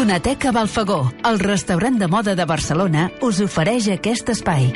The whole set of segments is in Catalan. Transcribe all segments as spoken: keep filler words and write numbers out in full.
Donateca Balfagó, el restaurant de moda de Barcelona, us ofereix aquest espai.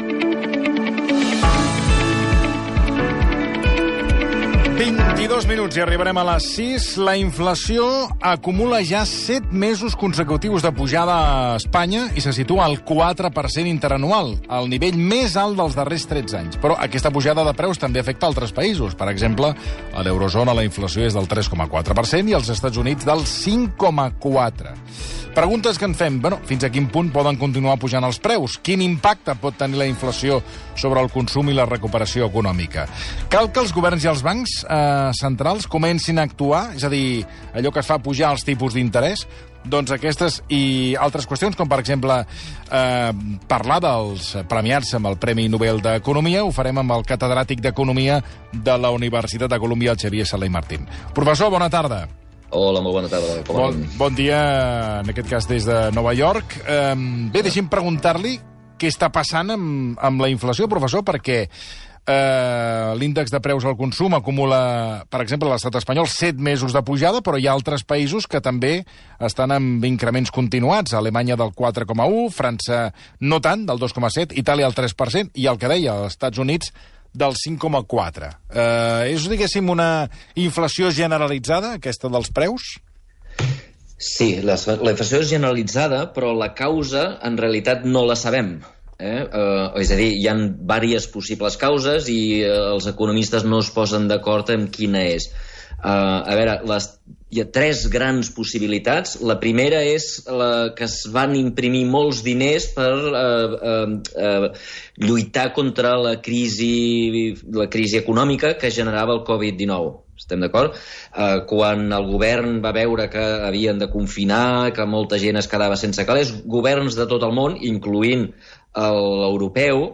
vint-i-dos minuts i arribarem a les sis. La inflació acumula ja set mesos consecutius de pujada a Espanya i se situa al quatre per cent interanual, el nivell més alt dels darrers tretze anys. Però aquesta pujada de preus també afecta altres països. Per exemple, a l'eurozona la inflació és del tres coma quatre per cent i als Estats Units del cinc coma quatre per cent. Preguntes que en fem. Bueno, fins a quin punt poden continuar pujant els preus? Quin impacte pot tenir la inflació sobre el consum i la recuperació econòmica? Cal que els governs i els bancs eh, centrals comencin a actuar? És a dir, allò que es fa pujar els tipus d'interès? Doncs aquestes i altres qüestions, com per exemple eh, parlar dels premiats amb el Premi Nobel d'Economia, ho farem amb el catedràtic d'Economia de la Universitat de Colúmbia, el Xavier Sala i Martín. Professor, bona tarda. Hola, molt bona tarda. Bon, bon dia, en aquest cas des de Nova York. Eh, bé, deixi'm preguntar-li què està passant amb, amb la inflació, professor, perquè eh, l'índex de preus al consum acumula, per exemple, a l'estat espanyol, set mesos de pujada, però hi ha altres països que també estan amb increments continuats. Alemanya del quatre coma u, França no tant, del dos coma set, Itàlia el tres per cent, i el que deia, als Estats Units del cinc coma quatre. Eh, és, diguéssim, una inflació generalitzada, aquesta dels preus? Sí, la, la inflació és generalitzada, però la causa, en realitat, no la sabem. Eh? Uh, és a dir, hi ha diverses possibles causes i uh, els economistes no es posen d'acord en quina és. Uh, a veure, les, hi ha tres grans possibilitats. La primera és la que es van imprimir molts diners per uh, uh, uh, lluitar contra la crisi, la crisi econòmica que generava el covid dinou. Estem d'acord? Uh, quan el govern va veure que havien de confinar, que molta gent es quedava sense calés, governs de tot el món, incloent l'europeu,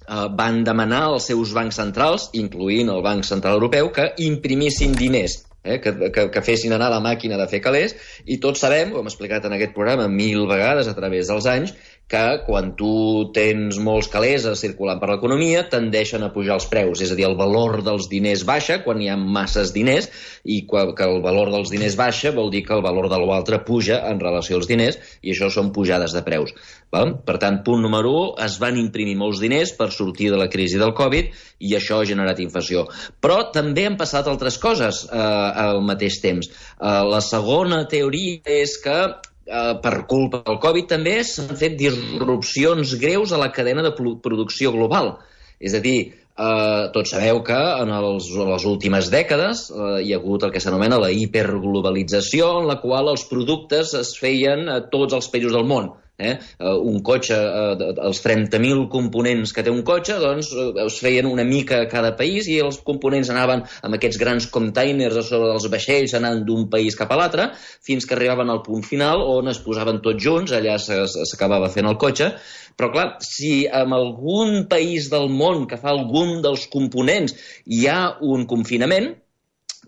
Uh, van demanar als seus bancs centrals, incloent el Banc Central Europeu, que imprimissin diners, eh? que, que, que fessin anar la màquina de fer calés, i tots sabem, ho hem explicat en aquest programa mil vegades a través dels anys, que quan tu tens molts calés circulant per l'economia tendeixen a pujar els preus, és a dir, el valor dels diners baixa quan hi ha masses diners, i quan, que el valor dels diners baixa vol dir que el valor de l'altre puja en relació als diners, i això són pujades de preus. Val? Per tant, punt número u, es van imprimir molts diners per sortir de la crisi del Covid i això ha generat inflació. Però també han passat altres coses eh, al mateix temps. Eh, la segona teoria és que Uh, per culpa del Covid també s'han fet disrupcions greus a la cadena de producció global. És a dir, uh, tots sabeu que en els, les últimes dècades uh, hi ha hagut el que s'anomena la hiperglobalització, en la qual els productes es feien a tots els països del món. Eh? Uh, un cotxe, uh, els trenta mil components que té un cotxe, doncs uh, es feien una mica a cada país i els components anaven amb aquests grans containers a sobre dels vaixells anant d'un país cap a l'altre fins que arribaven al punt final on es posaven tots junts, allà s'acabava fent el cotxe. Però clar, si en algun país del món que fa algun dels components hi ha un confinament,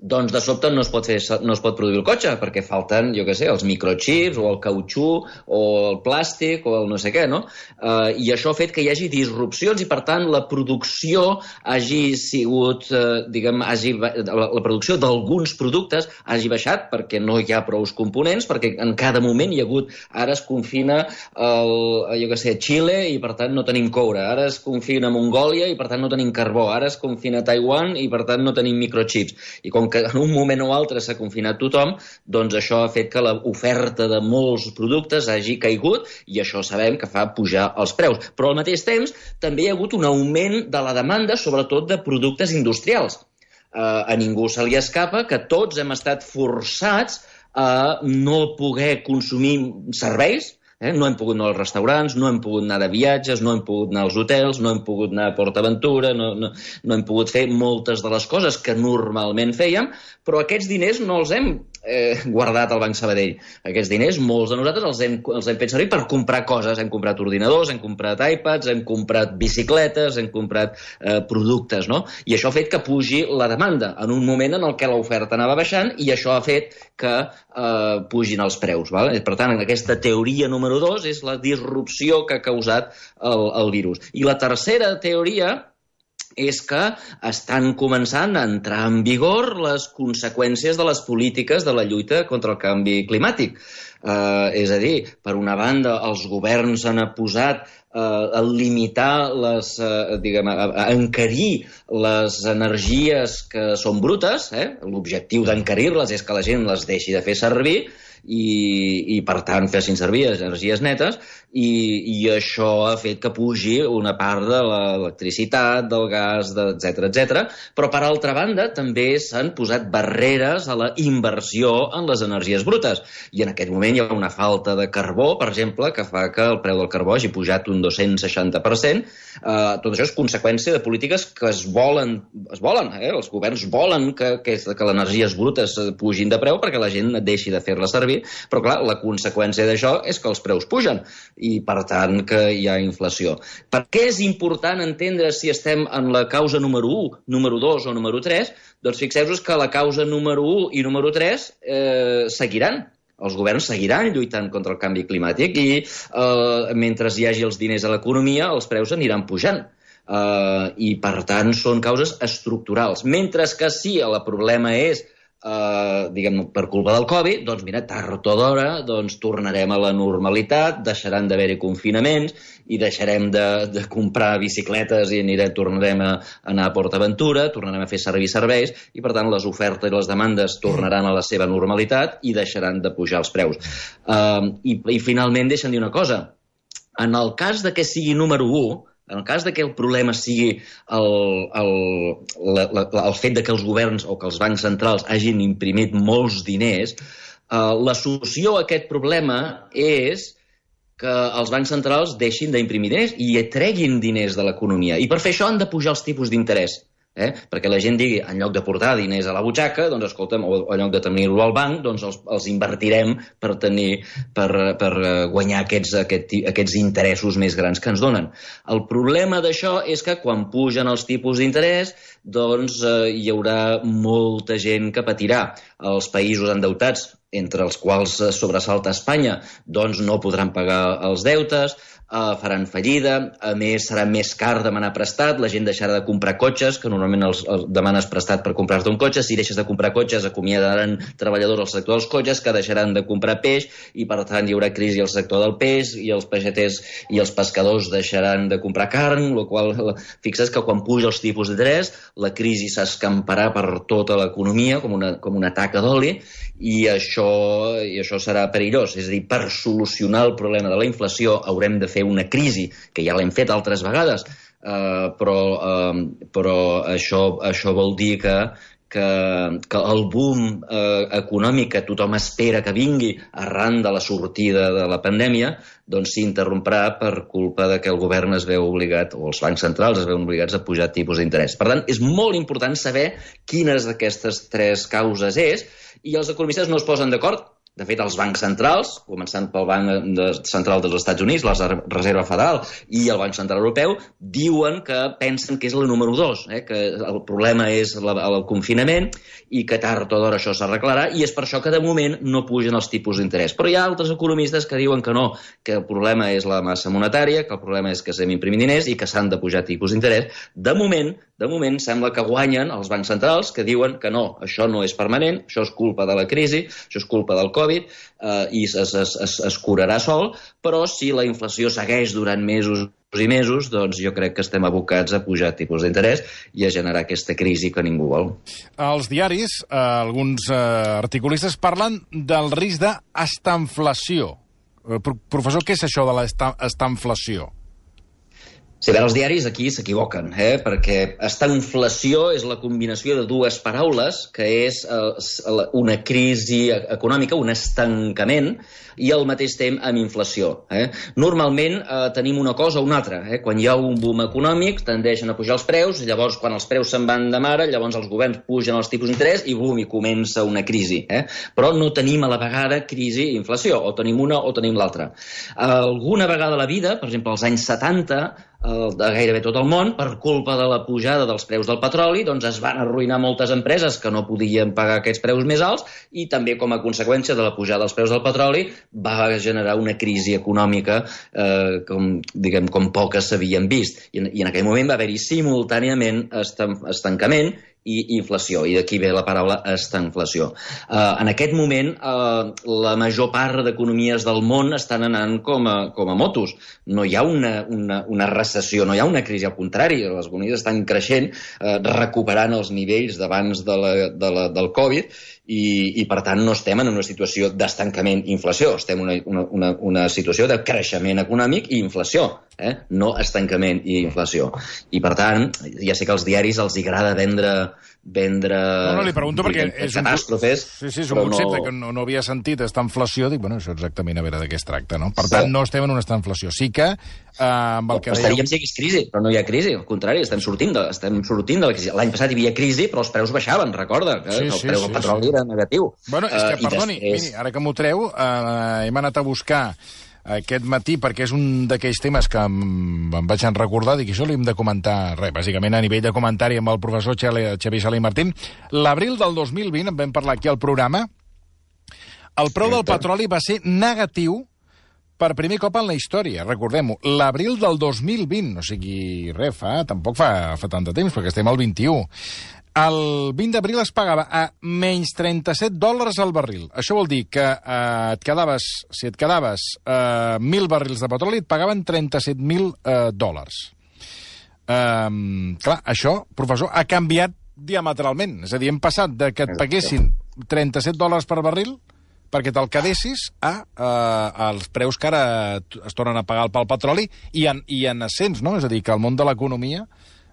doncs de sobte no es pot fer, no es pot produir el cotxe perquè falten, jo què sé, els microchips o el cautxú o el plàstic o el no sé què, no? Uh, I això ha fet que hi hagi disrupcions i, per tant, la producció hagi sigut, uh, diguem, hagi, la, la producció d'alguns productes hagi baixat perquè no hi ha prou components, perquè en cada moment hi ha hagut, ara es confina el, jo què sé, Xile i, per tant, no tenim coure, ara es confina Mongòlia i, per tant, no tenim carbó, ara es confina Taiwan i, per tant, no tenim microchips. I com que en un moment o altre s'ha confinat tothom, doncs això ha fet que l'oferta de molts productes hagi caigut i això sabem que fa pujar els preus. Però al mateix temps també hi ha hagut un augment de la demanda, sobretot de productes industrials. Uh, a ningú se li escapa que tots hem estat forçats a no poder consumir serveis. Eh? No hem pogut anar als restaurants, no hem pogut anar de viatges, no hem pogut anar als hotels, no hem pogut anar a PortAventura, no, no, no hem pogut fer moltes de les coses que normalment fèiem, però aquests diners no els hem eh, guardat al Banc Sabadell. Aquests diners, molts de nosaltres els hem, els hem fet servir per comprar coses. Hem comprat ordinadors, hem comprat iPads, hem comprat bicicletes, hem comprat eh, productes, no? I això ha fet que pugi la demanda en un moment en el què l'oferta anava baixant i això ha fet que eh, pugin els preus. Val? Per tant, aquesta teoria número dos és la disrupció que ha causat el, el virus. I la tercera teoria és que estan començant a entrar en vigor les conseqüències de les polítiques de la lluita contra el canvi climàtic. Uh, és a dir, per una banda, els governs han posat uh, a limitar les, uh, diguem, a, a encarir les energies que són brutes, eh? L'objectiu d'encarir-les és que la gent les deixi de fer servir, i, i per tant fessin servir energies netes, i, i això ha fet que pugi una part de l'electricitat, del gas, etcètera, etcètera. Però per altra banda també s'han posat barreres a la inversió en les energies brutes, i en aquest moment hi ha una falta de carbó, per exemple, que fa que el preu del carbó hagi pujat un dos-cents seixanta per cent. Uh, tot això és conseqüència de polítiques que es volen, es volen, eh? Els governs volen que, que, que les energies brutes pugin de preu perquè la gent deixi de fer-les servir. Però, clar, la conseqüència d'això és que els preus pugen i, per tant, que hi ha inflació. Per què és important entendre si estem en la causa número u, número dos o número tres? Doncs fixeu-vos que la causa número u i número tres eh, seguiran. Els governs seguiran lluitant contra el canvi climàtic i eh, mentre hi hagi els diners a l'economia, els preus aniran pujant. Uh, I, per tant, són causes estructurals. Mentre que si el problema és Uh, diguem, per culpa del Covid, doncs mira, tard o d'hora doncs, tornarem a la normalitat, deixaran d'haver-hi confinaments i deixarem de, de comprar bicicletes i anirem, tornarem a, a anar a PortAventura, tornarem a fer servir serveis i per tant les ofertes i les demandes tornaran a la seva normalitat i deixaran de pujar els preus. Uh, i, I finalment deixen dir una cosa, en el cas de que sigui número u, en el cas de que el problema sigui el, el, la, la, el fet de que els governs o que els bancs centrals hagin imprimit molts diners, eh, la solució a aquest problema és que els bancs centrals deixin d'imprimir diners i treguin diners de l'economia. I per fer això han de pujar els tipus d'interès. Eh? Perquè la gent digui, en lloc de portar diners a la butxaca, doncs escolta'm, o, o en lloc de tenir-lo al banc, doncs els, els invertirem per tenir, per, per guanyar aquests, aquest, aquests interessos més grans que ens donen. El problema d'això és que quan pugen els tipus d'interès, doncs eh, hi haurà molta gent que patirà. Els països endeutats, entre els quals sobresalta Espanya, doncs no podran pagar els deutes, Uh, faran fallida, a més serà més car demanar prestat, la gent deixarà de comprar cotxes, que normalment els, els demanes prestat per comprar-te un cotxe, si deixes de comprar cotxes acomiadaran treballadors al sector dels cotxes que deixaran de comprar peix i per tant hi haurà crisi al sector del peix i els peixaters i els pescadors deixaran de comprar carn, el qual fixes que quan puja els tipus d'interès la crisi s'escamparà per tota l'economia com una, com una taca d'oli i això, i això serà perillós, és a dir, per solucionar el problema de la inflació haurem de fer una crisi, que ja l'hem fet altres vegades, uh, però, uh, però això, això vol dir que, que, que el boom uh, econòmic que tothom espera que vingui arran de la sortida de la pandèmia doncs s'interromprà per culpa de que el govern es veu obligat, o els bancs centrals es veuen obligats a pujar tipus d'interès. Per tant, és molt important saber quines d'aquestes tres causes és i els economistes no es posen d'acord. De fet, els bancs centrals, començant pel Banc Central dels Estats Units, la Reserva Federal i el Banc Central Europeu, diuen que pensen que és la número dos, eh? Que el problema és la, el confinament i que tard o d'hora això s'arreglarà i és per això que de moment no pugen els tipus d'interès. Però hi ha altres economistes que diuen que no, que el problema és la massa monetària, que el problema és que estem imprimint diners i que s'han de pujar tipus d'interès. De moment, de moment sembla que guanyen els bancs centrals que diuen que no, això no és permanent, això és culpa de la crisi, això és culpa del Covid eh, i es, es, es, es curarà sol, però si la inflació segueix durant mesos i mesos, doncs jo crec que estem abocats a pujar tipus d'interès i a generar aquesta crisi que ningú vol. Els diaris, eh, alguns eh, articulistes, parlen del risc d'estanflació. Eh, professor, què és això de l'estanflació? Sí, bé, els diaris aquí s'equivoquen, eh? Perquè estanflació és la combinació de dues paraules, que és eh, una crisi econòmica, un estancament, i al mateix temps amb inflació. Eh? Normalment eh, tenim una cosa o una altra. Eh? Quan hi ha un boom econòmic, tendeixen a pujar els preus, llavors quan els preus se'n van de mare, llavors els governs pugen els tipus d'interès i boom, i comença una crisi. Eh? Però no tenim a la vegada crisi i inflació, o tenim una o tenim l'altra. Alguna vegada a la vida, per exemple, als anys setanta, el, de gairebé tot el món, per culpa de la pujada dels preus del petroli, doncs es van arruïnar moltes empreses que no podien pagar aquests preus més alts i també com a conseqüència de la pujada dels preus del petroli va generar una crisi econòmica eh, com, diguem, com poques s'havien vist. I en, i en aquell moment va haver-hi simultàniament estancament i inflació, i d'aquí ve la paraula estanflació. Uh, en aquest moment, uh, la major part d'economies del món estan anant com a, com a motos. No hi ha una, una, una recessió, no hi ha una crisi, al contrari, les economies estan creixent, uh, recuperant els nivells d'abans de la, de la, del Covid, i, i per tant no estem en una situació d'estancament i inflació, estem en una, una, una situació de creixement econòmic i inflació, eh? No estancament i inflació. I per tant, ja sé que als diaris els agrada vendre vendre... No, no, li pregunto perquè és un, catàstrofes, sí, sí, és un concepte no... que no, no havia sentit, esta inflació, dic, bueno, això exactament a veure de què es tracta, no? Per sí. tant, no estem en una inflació. Sí que... Eh, amb el que estaríem si hi hagués crisi, però no hi ha crisi, al contrari, estem sortint de, estem sortint de la crisi. L'any passat hi havia crisi, però els preus baixaven, recorda, que sí, el sí, preu del sí, petroli sí. era negatiu. Bueno, és que, uh, perdoni, després... miri, ara que m'ho treu, uh, hem anat a buscar aquest matí, perquè és un d'aquells temes que em, em vaig recordar, dic, això l'hem de comentar, res, bàsicament a nivell de comentari amb el professor Xavier Sala i Martín. L'abril del dos mil vint, en vam parlar aquí al programa, el preu del petroli va ser negatiu per primer cop en la història, recordem-ho, l'abril del dos mil vint, o sigui, res, fa, tampoc fa, fa tant de temps, perquè estem al vint-i-u. El vint d'abril es pagava a menys trenta-set dòlars al barril. Això vol dir que eh, et quedaves, si et quedaves eh, mil barrils de petroli, et pagaven trenta-set mil eh, dòlars. Eh, clar, això, professor, ha canviat diametralment. És a dir, hem passat de que et paguessin trenta-set dòlars per barril perquè te'l quedessis a eh, els preus que ara es tornen a pagar pel petroli i en, i en ascens, no? És a dir, que el món de l'economia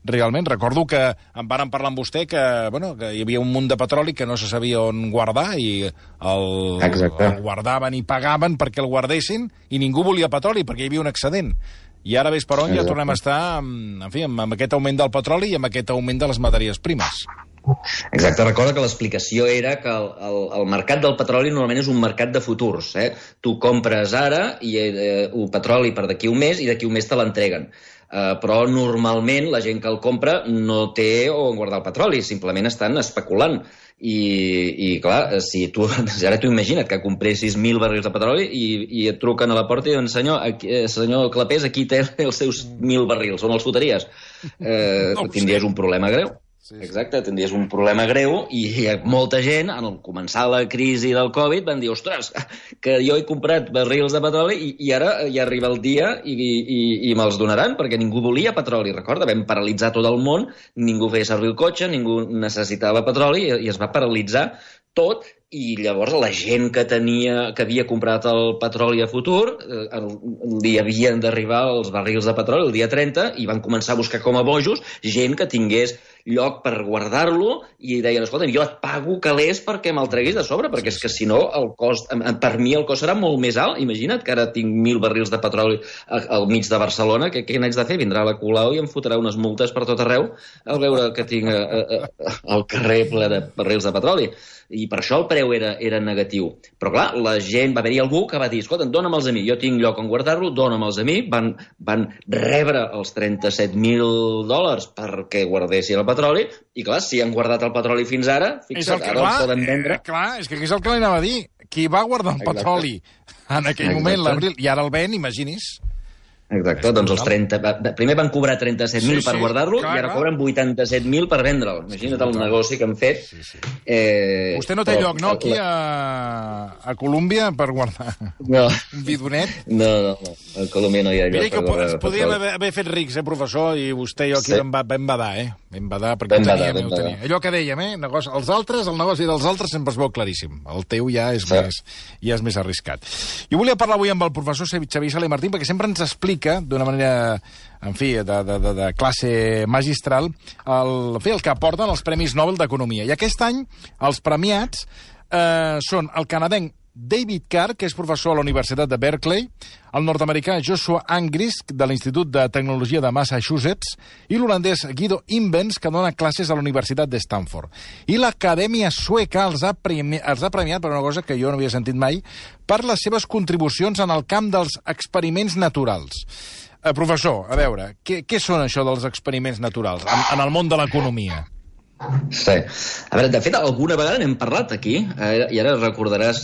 realment, recordo que em varen parlar amb vostè que, bueno, que hi havia un munt de petroli que no se sabia on guardar i el, el guardaven i pagaven perquè el guardessin i ningú volia petroli perquè hi havia un excedent. I ara ves per on ja tornem a estar en fi, amb aquest augment del petroli i amb aquest augment de les matèries primes. Exacte, recorda que l'explicació era que el, el, el mercat del petroli normalment és un mercat de futurs. Eh? Tu compres ara i, eh, un petroli per d'aquí un mes i d'aquí un mes te l'entreguen. Uh, però normalment la gent que el compra no té on guardar el petroli, simplement estan especulant. I, i clar, si tu, ara tu imagina't que compressis mil barrils de petroli i, i et truquen a la porta i diuen senyor, aquí, senyor Clapés, aquí té els seus mil barrils, on els fotries? Eh, no, tindries sí. un problema greu. Sí, sí. Exacte, tindries un problema greu i molta gent, al començar la crisi del Covid, van dir, ostres, que jo he comprat barrils de petroli i, i ara ja arriba el dia i, i, i me'ls donaran, perquè ningú volia petroli. Recorda, vam paralitzar tot el món, ningú feia servir el cotxe, ningú necessitava petroli i, i es va paralitzar tot. I llavors la gent que tenia que havia comprat el petroli a futur eh, li havien d'arribar els barrils de petroli el dia trenta i van començar a buscar com a bojos gent que tingués lloc per guardar-lo i deien, escolta, jo et pago calés perquè me'l treguis de sobre, perquè és que si no el cost, per mi el cost serà molt més alt. Imagina't que ara tinc mil barrils de petroli al mig de Barcelona, que què n'haig de fer? Vindrà la Colau i em fotrà unes multes per tot arreu al veure que tinc el carrer ple de barrils de petroli. I per això el preu era, era negatiu. Però clar, la gent, va haver-hi algú que va dir, escolta, dóna'm-els a mi, jo tinc lloc on guardar-lo, dóna'm-els a mi, van, van rebre els trenta-set mil dòlars perquè guardessin el petroli, i clar, si han guardat el petroli fins ara, fixa't, que, ara clar, el poden vendre. Eh, clar, és que aquí és el que li anava a dir. Qui va guardar el Exacte. petroli en aquell Exacte. moment, l'abril, i ara el ven, imagini's. Exacte, doncs els trenta... Primer van cobrar trenta-set mil sí, per sí, guardar-lo i ara cobren vuitanta-set mil per vendre'l. Imagina't el negoci que han fet. Sí, sí. Eh, Vostè no té però, lloc, no, aquí a, a Colòmbia per guardar no. un bidonet? No, no, no, a Colòmbia no hi ha lloc. Mira que per ens podríem haver, haver fet rics, eh, professor, i vostè i jo aquí sí. vam, vam badar, eh? Vam badar, perquè vam ho teníem, badar, ho teníem. Allò que dèiem, eh? Negoci, els altres, el negoci dels altres sempre es veu claríssim. El teu ja és, sí. més, ja és més arriscat. Jo volia parlar avui amb el professor Xavier Sala i Martín perquè sempre ens explica, d'una manera en fi, de, de, de, de classe magistral, el, en fi, el que aporten els Premis Nobel d'Economia. I aquest any els premiats eh, són el canadenc David Carr, que és professor a la Universitat de Berkeley, el nord-americà Joshua Angrist, de l'Institut de Tecnologia de Massachusetts, i l'holandès Guido Imbens, que dona classes a la Universitat de Stanford. I l'Acadèmia Sueca els ha, premi els ha premiat per una cosa que jo no havia sentit mai, per les seves contribucions en el camp dels experiments naturals. Eh, professor, a veure, què, què són això dels experiments naturals en, en el món de l'economia? Sí. A veure, de fet, alguna vegada n'hem parlat aquí, eh, i ara recordaràs,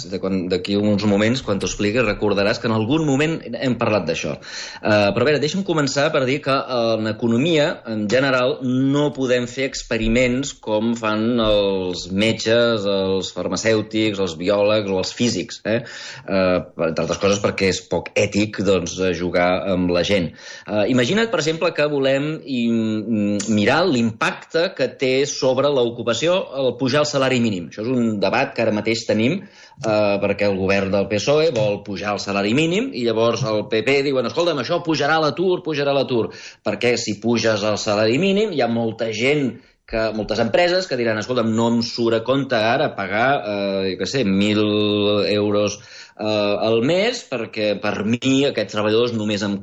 d'aquí uns moments, quan t'ho expliqui, recordaràs que en algun moment hem parlat d'això. Uh, però a veure, deixa'm començar per dir que en economia, en general, no podem fer experiments com fan els metges, els farmacèutics, els biòlegs o els físics, eh? Uh, entre altres coses perquè és poc ètic, doncs, jugar amb la gent. Uh, imagina't, per exemple, que volem mirar l'impacte que té sobre l'ocupació, el pujar el salari mínim. Això és un debat que ara mateix tenim eh, perquè el govern del P S O E vol pujar el salari mínim i llavors el P P diuen, escolta'm, això pujarà l'atur, pujarà l'atur. Perquè si puges el salari mínim hi ha molta gent, que, moltes empreses que diran, escolta'm, no em surt a compte ara pagar, eh, jo què sé, mil euros eh, al mes perquè per mi aquests treballadors només em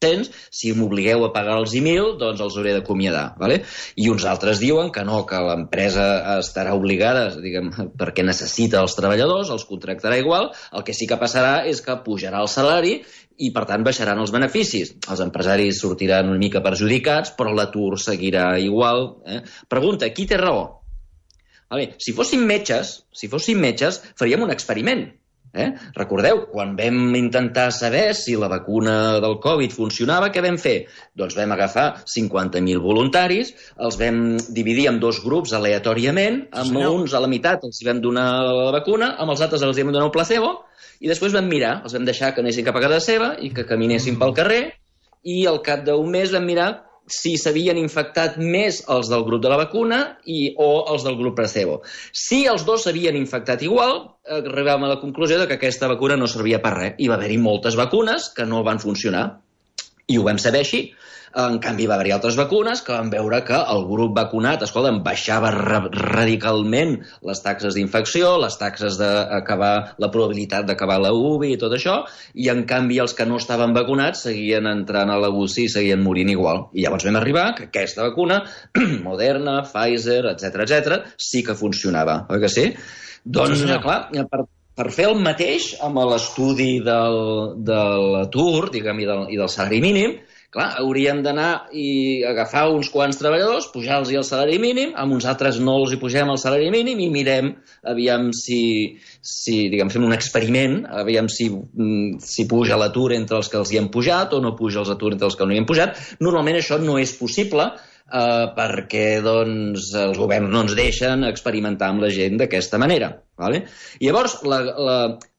si m'obligueu a pagar-los mil, doncs els hauré d'acomiadar. Vale? I uns altres diuen que no, que l'empresa estarà obligada, diguem, perquè necessita els treballadors, els contractarà igual, el que sí que passarà és que pujarà el salari i, per tant, baixaran els beneficis. Els empresaris sortiran una mica perjudicats, però l'atur seguirà igual. Eh? Pregunta, qui té raó? Vale, si fóssim metges, si fóssim metges, faríem un experiment. Eh? Recordeu, quan vam intentar saber si la vacuna del Covid funcionava, què vam fer? Doncs vam agafar cinquanta mil voluntaris, els vam dividir en dos grups aleatòriament, amb sí, uns a la meitat els vam donar la vacuna, amb els altres els vam donar un placebo, i després vam mirar, els vam deixar que anessin cap a casa seva i que caminessin pel carrer, i al cap d'un mes vam mirar si s'havien infectat més els del grup de la vacuna i, o els del grup placebo. Si els dos s'havien infectat igual, arribàvem a la conclusió de que aquesta vacuna no servia per res. Hi va haver-hi moltes vacunes que no van funcionar. I ho vam saber així. En canvi, va haver-hi altres vacunes que van veure que el grup vacunat, escolta, baixava ra radicalment les taxes d'infecció, les taxes d'acabar, la probabilitat d'acabar la U V I i tot això, i en canvi els que no estaven vacunats seguien entrant a la U C I i seguien morint igual. I llavors vam arribar que aquesta vacuna, Moderna, Pfizer, etcètera, etcètera, sí que funcionava. Oi que sí? Doncs, sí, clar, per... Per fer el mateix amb l'estudi del, de l'atur, diguem, i del, i del salari mínim, clar, hauríem d'anar i agafar uns quants treballadors, pujar-los el salari mínim, amb uns altres no els hi pugem el salari mínim i mirem, aviam si, si diguem, fem un experiment, aviam si, si puja l'atur entre els que els hi hem pujat o no puja l'atur entre els que no hi hem pujat. Normalment això no és possible, Uh, perquè doncs, els governs no ens deixen experimentar amb la gent d'aquesta manera. Vale? I llavors, la, la,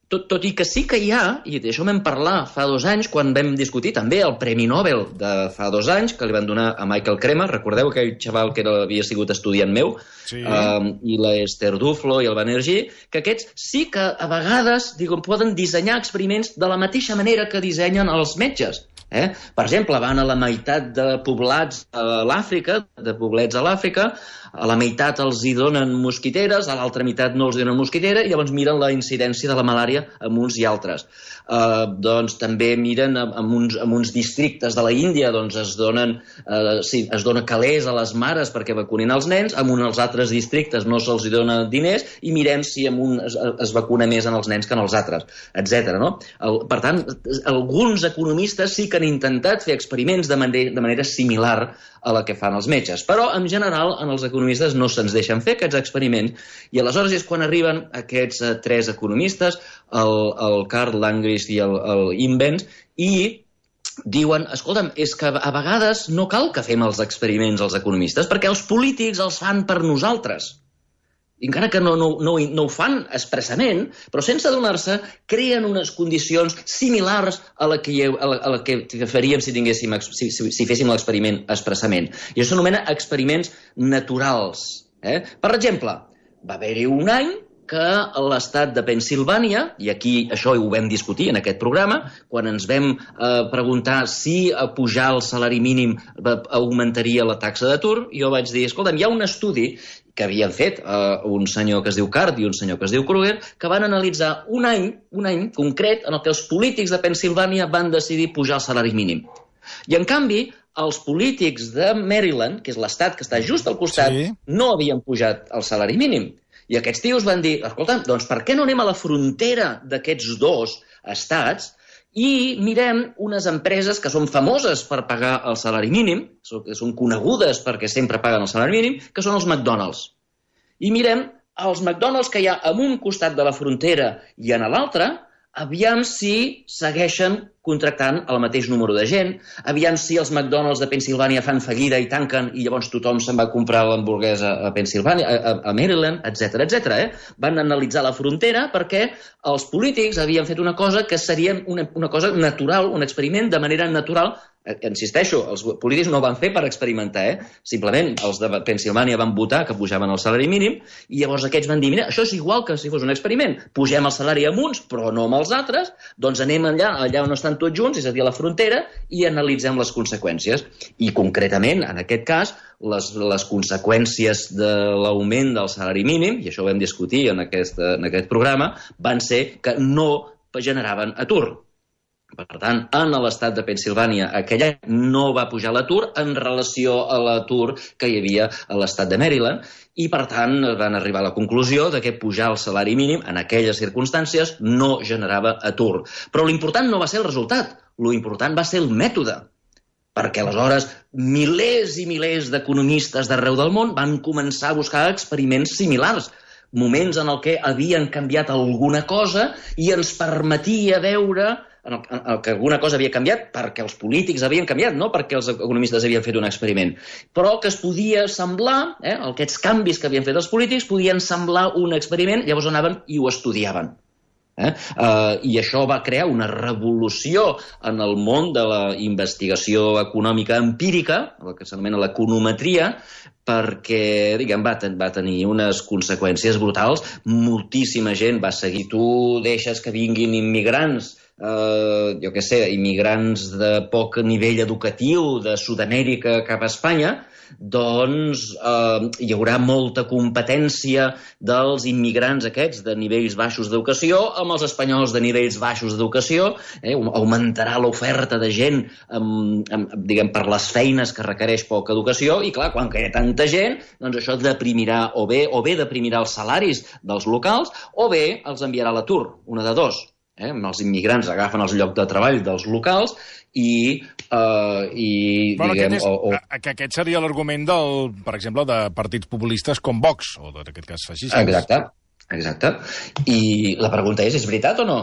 tot, tot i que sí que hi ha, i d'això vam parlar fa dos anys, quan vam discutir també el Premi Nobel de fa dos anys, que li van donar a Michael Kremer, recordeu aquell xaval que era, havia sigut estudiant meu, sí. uh, i l'Esther Duflo i el Banerjee, que aquests sí que a vegades diuen, poden dissenyar experiments de la mateixa manera que dissenyen els metges. Eh? Per exemple, van a la meitat de poblats a l'Àfrica, de poblets a l'Àfrica, a la meitat els hi donen mosquiteres, a l'altra meitat no els donen mosquitera, i llavors miren la incidència de la malària amb uns i altres. Uh, doncs també miren amb uns, amb uns districtes de la Índia, doncs es donen uh, sí, es dona calés a les mares perquè vacunin els nens, amb uns altres districtes no se'ls dona diners, i mirem si amb un es, es vacuna més en els nens que en els altres, etcètera. No? El, per tant, alguns economistes sí que han intentat fer experiments de manera, de manera similar a la que fan els metges, però en general en els economistes no se'ns deixen fer aquests experiments, i aleshores és quan arriben aquests uh, tres economistes, el, el Karl Landgraf i el, el Invens, i diuen, escolta'm, és que a vegades no cal que fem els experiments els economistes, perquè els polítics els fan per nosaltres. I encara que no, no, no, no ho fan expressament, però sense adonar-se, creen unes condicions similars a la que, a la, a la que faríem si, tinguéssim, si, si, si féssim l'experiment expressament. I això s'anomena experiments naturals. Eh? Per exemple, va haver-hi un any que l'estat de Pennsilvània, i aquí això ho vam discutir en aquest programa, quan ens vam eh, preguntar si a pujar el salari mínim augmentaria la taxa d'atur, jo vaig dir, escolta'm, hi ha un estudi que havien fet uh, un senyor que es diu Card i un senyor que es diu Kruger, que van analitzar un any, un any concret en el que els polítics de Pennsilvània van decidir pujar el salari mínim. I, en canvi, els polítics de Maryland, que és l'estat que està just al costat, sí, no havien pujat el salari mínim. I aquests tios van dir, escolta, doncs per què no anem a la frontera d'aquests dos estats i mirem unes empreses que són famoses per pagar el salari mínim, que són conegudes perquè sempre paguen el salari mínim, que són els McDonald's. I mirem els McDonald's que hi ha en un costat de la frontera i en l'altre, aviam si segueixen contractant el mateix número de gent, aviam si els McDonald's de Pennsilvània fan fallida i tanquen i llavors tothom se'n va comprar l'hamburguesa a Pennsilvània, a, a Maryland, etcètera, etcètera. Eh? Van analitzar la frontera perquè els polítics havien fet una cosa que seria una, una cosa natural, un experiment de manera natural. Insisteixo, els polítics no ho van fer per experimentar, eh? Simplement els de Pennsilvània van votar que pujaven el salari mínim i llavors aquests van dir, mira, això és igual que si fos un experiment, pugem el salari amb uns però no amb els altres, doncs anem allà, allà on estan tots junts, és a dir, a la frontera, i analitzem les conseqüències. I concretament, en aquest cas, les, les conseqüències de l'augment del salari mínim, i això ho vam discutir en aquest, en aquest programa, van ser que no generaven atur. Per tant, en l'estat de Pennsilvània aquell any no va pujar l'atur en relació a l'atur que hi havia a l'estat de Maryland i, per tant, van arribar a la conclusió de que pujar el salari mínim en aquelles circumstàncies no generava atur. Però l'important no va ser el resultat, l'important va ser el mètode. Perquè aleshores milers i milers d'economistes d'arreu del món van començar a buscar experiments similars, moments en el què havien canviat alguna cosa i ens permetia veure en el, en el que alguna cosa havia canviat perquè els polítics havien canviat, no perquè els economistes havien fet un experiment, però que es podia semblar, eh, aquests canvis que havien fet els polítics podien semblar un experiment, llavors anaven i ho estudiaven. Eh? Uh, I això va crear una revolució en el món de la investigació econòmica empírica, el que s'anomena l'econometria, perquè diguem, va, ten va tenir unes conseqüències brutals. Moltíssima gent va seguir. Tu deixes que vinguin immigrants, Uh, jo què sé, immigrants de poc nivell educatiu de Sud-amèrica cap a Espanya, doncs uh, hi haurà molta competència dels immigrants aquests de nivells baixos d'educació amb els espanyols de nivells baixos d'educació, eh? Augmentarà l'oferta de gent amb, amb, diguem, per les feines que requereix poca educació i, clar, quan hi ha tanta gent, doncs això deprimirà, o bé, o bé deprimirà els salaris dels locals o bé els enviarà a l'atur, una de dos. Eh? Els immigrants agafen els llocs de treball dels locals i, uh, i bueno, diguem... Aquest, és, o, o... que aquest seria l'argument del, per exemple, de partits populistes com Vox, o en aquest cas feixistes. Exacte, exacte. I la pregunta és, és veritat o no?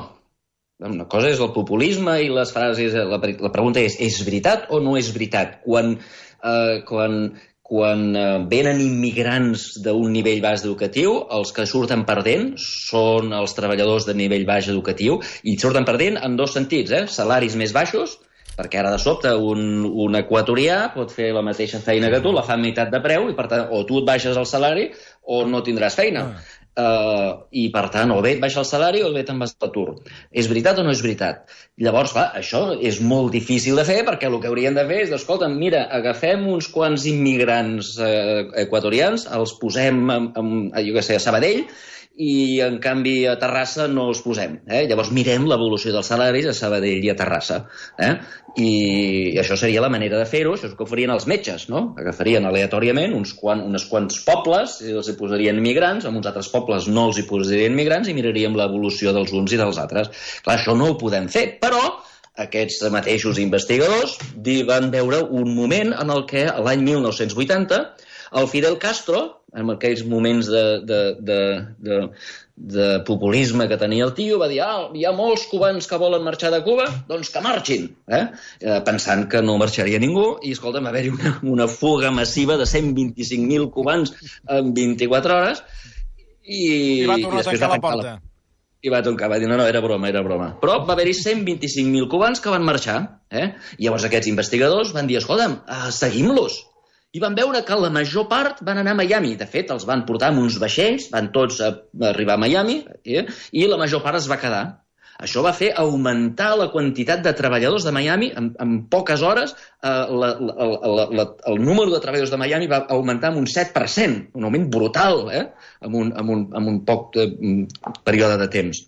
Una cosa és el populisme i les frases... La, la pregunta és, és veritat o no és veritat? Quan... Uh, quan Quan venen immigrants d'un nivell baix educatiu, els que surten perdent són els treballadors de nivell baix educatiu i surten perdent en dos sentits, eh? Salaris més baixos, perquè ara de sobte un, un equatorià pot fer la mateixa feina que tu, la fa a meitat de preu, i per tant o tu et baixes el salari o no tindràs feina. Ah. Uh, I per tant, o bé et baixa el salari o bé te'n vas a l'atur. És veritat o no és veritat? Llavors, clar, això és molt difícil de fer perquè el que haurien de fer és, escolta, mira, agafem uns quants immigrants eh, equatorians, els posem a, a, jo què sé, a Sabadell i en canvi a Terrassa no els posem. Eh? Llavors mirem l'evolució dels salaris a Sabadell i a Terrassa. Eh? I això seria la manera de fer-ho, això és el que farien els metges, no? Agafarien aleatòriament uns, quan, uns quants pobles i els hi posarien migrants, amb uns altres pobles no els hi posarien migrants i miraríem l'evolució dels uns i dels altres. Clar, això no ho podem fer, però aquests mateixos investigadors van veure un moment en el què l'any mil nou-cents vuitanta el Fidel Castro, en aquells moments de, de, de, de, de populisme que tenia el tio, va dir, ah, hi ha molts cubans que volen marxar de Cuba, doncs que marxin, eh? Eh, pensant que no marxaria ningú, i escolta, va haver-hi una, una fuga massiva de cent vint-i-cinc mil cubans en vint-i-quatre hores, i, I va tornar i a tancar la porta. La... I va tancar, va dir, no, no, era broma, era broma. Però va haver-hi cent vint-i-cinc mil cubans que van marxar, eh? I llavors aquests investigadors van dir, escolta'm, uh, seguim-los. I van veure que la major part van anar a Miami. De fet, els van portar amb uns vaixells, van tots a arribar a Miami, eh? I la major part es va quedar. Això va fer augmentar la quantitat de treballadors de Miami. En, en poques hores, eh, la, la, la, la, el número de treballadors de Miami va augmentar en un set per cent, un augment brutal, eh? en, un, en, un, en un poc de, període de temps.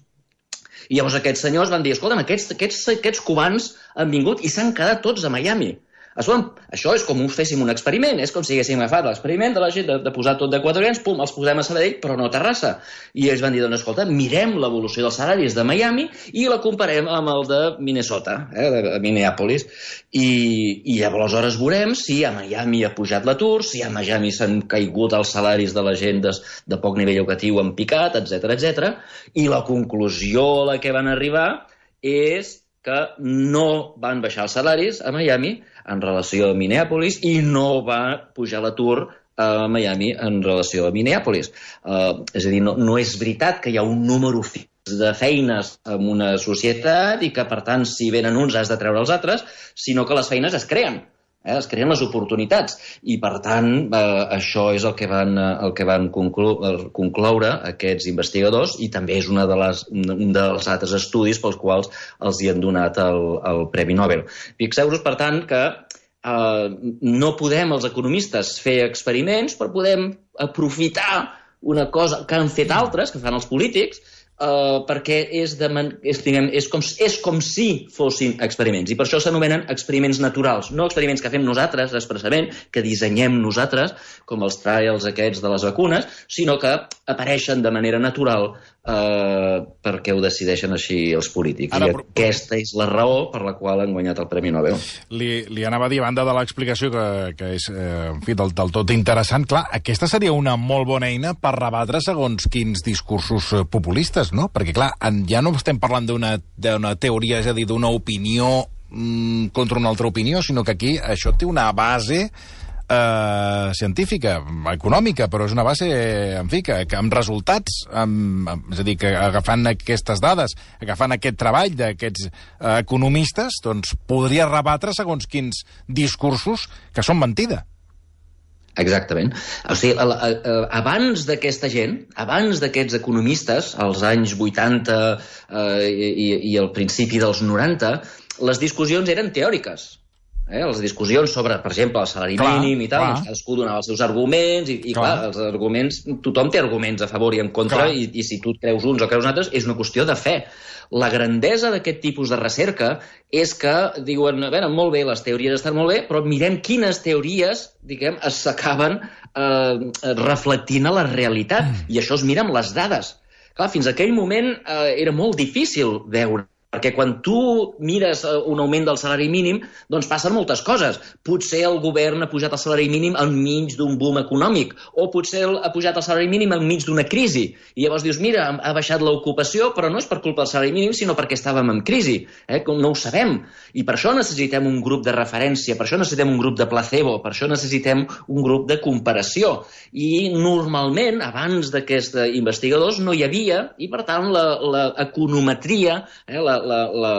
I llavors aquests senyors van dir, escolta'm, aquests, aquests, aquests cubans han vingut i s'han quedat tots a Miami. Això és com us féssim un experiment, és com si haguéssim agafat l'experiment de la gent de, de posar tot d'equatorians, pum, els posem a Sabadell, però no a Terrassa. I ells van dir, doncs, escolta, mirem l'evolució dels salaris de Miami i la comparem amb el de Minnesota, eh, de Minneapolis, i, i aleshores veurem si a Miami ha pujat l'atur, si a Miami s'han caigut els salaris de la gent de, de poc nivell educatiu en picat, etcètera, etcètera. I la conclusió a la que van arribar és que no van baixar els salaris a Miami en relació a Minneapolis i no va pujar l'atur a Miami en relació a Minneapolis. Uh, és a dir, no, no és veritat que hi ha un número fix de feines en una societat i que, per tant, si venen uns has de treure els altres, sinó que les feines es creen. Eh, es creen les oportunitats i, per tant, eh, això és el que van, el que van conclu concloure aquests investigadors i també és una de les, un dels altres estudis pels quals els hi han donat el, el Premi Nobel. Fixeu-vos, per tant, que eh, no podem els economistes fer experiments, però podem aprofitar una cosa que han fet altres, que fan els polítics, Uh, perquè és, de man és, diguem, és, com, és com si fossin experiments. I per això s'anomenen experiments naturals. No experiments que fem nosaltres expressament, que dissenyem nosaltres, com els trials aquests de les vacunes, sinó que apareixen de manera natural uh, perquè ho decideixen així els polítics. Ara, I però... aquesta és la raó per la qual han guanyat el Premi Nobel. Li, li anava a dir, a banda de l'explicació, que, que és eh, en fi, del, del tot interessant, clar, aquesta seria una molt bona eina per rebatre segons quins discursos populistes, no? Perquè, clar, ja no estem parlant d'una teoria, és a dir, d'una opinió mmm, contra una altra opinió, sinó que aquí això té una base eh, científica, econòmica, però és una base, en fi, que, que amb resultats, amb, amb, és a dir, que agafant aquestes dades, agafant aquest treball d'aquests eh, economistes, doncs podria rebatre segons quins discursos que són mentida. Exactament. O sigui, abans d'aquesta gent, abans d'aquests economistes, als anys vuitanta eh, i, i al principi dels noranta, les discussions eren teòriques. Eh? Les discussions sobre, per exemple, el salari clar, mínim i tal, doncs cadascú donava els seus arguments i, i clar. clar, els arguments, tothom té arguments a favor i en contra i, i si tu creus uns o creus altres, és una qüestió de fe. La grandesa d'aquest tipus de recerca és que diuen, a veure, molt bé, les teories estan molt bé, però mirem quines teories, diguem, s'acaben eh, reflectint a la realitat. Mm. I això es mira amb les dades. Clar, fins a aquell moment eh, era molt difícil veure, perquè quan tu mires un augment del salari mínim, doncs passen moltes coses. Potser el govern ha pujat el salari mínim enmig d'un boom econòmic, o potser ha pujat el salari mínim enmig d'una crisi. I llavors dius, mira, ha baixat l'ocupació, però no és per culpa del salari mínim, sinó perquè estàvem en crisi. Eh? No ho sabem. I per això necessitem un grup de referència, per això necessitem un grup de placebo, per això necessitem un grup de comparació. I normalment, abans d'aquests investigadors, no hi havia, i per tant l'econometria, eh, la La, la,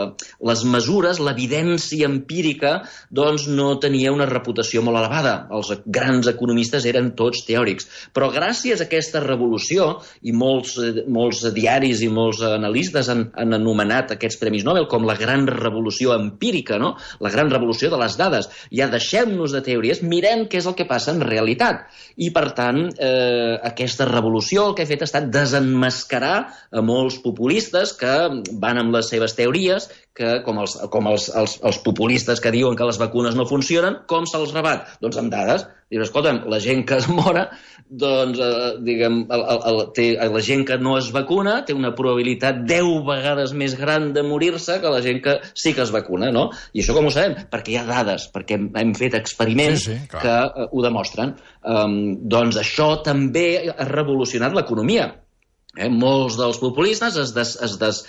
les mesures, l'evidència empírica, doncs no tenia una reputació molt elevada. Els grans economistes eren tots teòrics. Però gràcies a aquesta revolució, i molts, molts diaris i molts analistes han, han anomenat aquests Premis Nobel com la gran revolució empírica, no? La gran revolució de les dades. Ja deixem-nos de teories, mirem què és el que passa en realitat. I, per tant, eh, aquesta revolució el que ha fet ha estat desenmascarar a molts populistes que van amb les seves teories, que com, els, com els, els, els populistes que diuen que les vacunes no funcionen, com se'ls rebat? Doncs amb dades. Dius, escolta'm, la gent que es mora, doncs, eh, diguem, el, el, el, té, la gent que no es vacuna té una probabilitat deu vegades més gran de morir-se que la gent que sí que es vacuna, no? I això com ho sabem? Perquè hi ha dades, perquè hem, hem fet experiments sí, sí, que eh, ho demostren. Um, doncs això també ha revolucionat l'economia. Eh? Molts dels populistes es, des, es, des,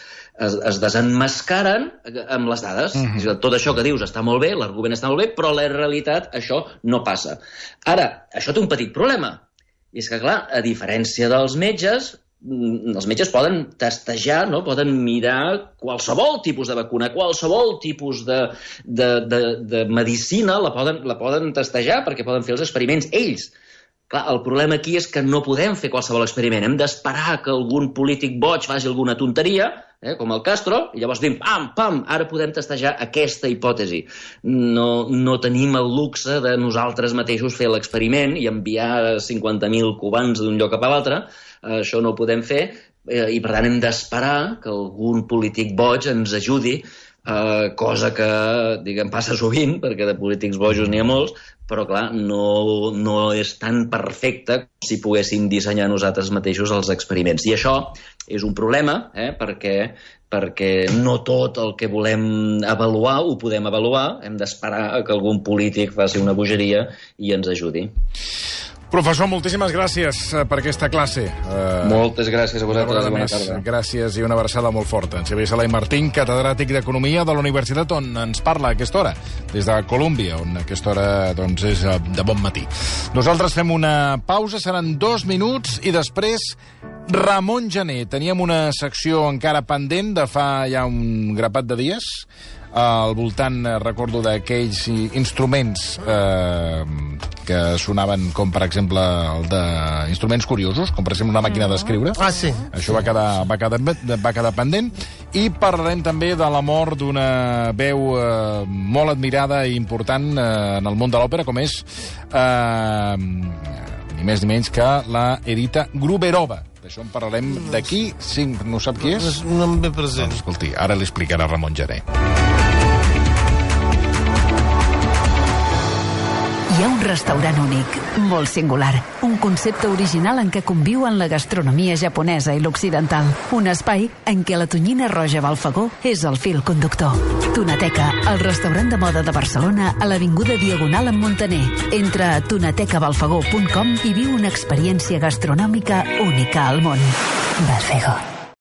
es, es desenmascaren amb les dades. Mm-hmm. Tot això que dius està molt bé, l'argument està molt bé, però la realitat això no passa. Ara, això té un petit problema. I és que, clar, a diferència dels metges, els metges poden testejar, no? Poden mirar qualsevol tipus de vacuna, qualsevol tipus de, de, de, de medicina la poden, la poden testejar perquè poden fer els experiments ells. Clar, el problema aquí és que no podem fer qualsevol experiment. Hem d'esperar que algun polític boig faci alguna tonteria, eh, com el Castro, i llavors diuen, pam, pam, ara podem testejar aquesta hipòtesi. No, no tenim el luxe de nosaltres mateixos fer l'experiment i enviar cinquanta mil cubans d'un lloc cap a l'altre. Eh, això no ho podem fer, eh, i per tant hem d'esperar que algun polític boig ens ajudi eh, cosa que, diguem, passa sovint, perquè de polítics bojos n'hi ha molts, però, clar, no, no és tan perfecte com si poguéssim dissenyar nosaltres mateixos els experiments. I això és un problema, eh, perquè, perquè no tot el que volem avaluar ho podem avaluar, hem d'esperar que algun polític faci una bogeria i ens ajudi. Professor, moltíssimes gràcies per aquesta classe. Uh, Moltes gràcies a vosaltres. Bona tarda. Gràcies i una abraçada molt forta. En Xavier Sala i Martín, catedràtic d'Economia de la Universitat, on ens parla a aquesta hora, des de Colòmbia, on a aquesta hora doncs, és de bon matí. Nosaltres fem una pausa, seran dos minuts, i després Ramon Gené. Teníem una secció encara pendent de fa ja un grapat de dies, al voltant, recordo, d'aquells instruments eh, que sonaven com, per exemple, el d'instruments curiosos, com, per exemple, una màquina d'escriure. Ah, sí. Això va quedar, va quedar, va quedar pendent. I parlarem també de la mort d'una veu eh, molt admirada i important eh, en el món de l'òpera, com és eh, ni més ni menys que la Edita Gruberova. D'això en parlarem d'aquí. Sí, no sap qui és? No em ve present. Doncs, escolti, ara li explicarà Ramon Gené. Hi ha un restaurant únic, molt singular. Un concepte original en què conviuen la gastronomia japonesa i l'occidental. Un espai en què la tonyina roja Balfagó és el fil conductor. Tunateca, el restaurant de moda de Barcelona a l'avinguda Diagonal amb Montaner. Entra a tunateca balfagó punt com i viu una experiència gastronòmica única al món. Balfagó.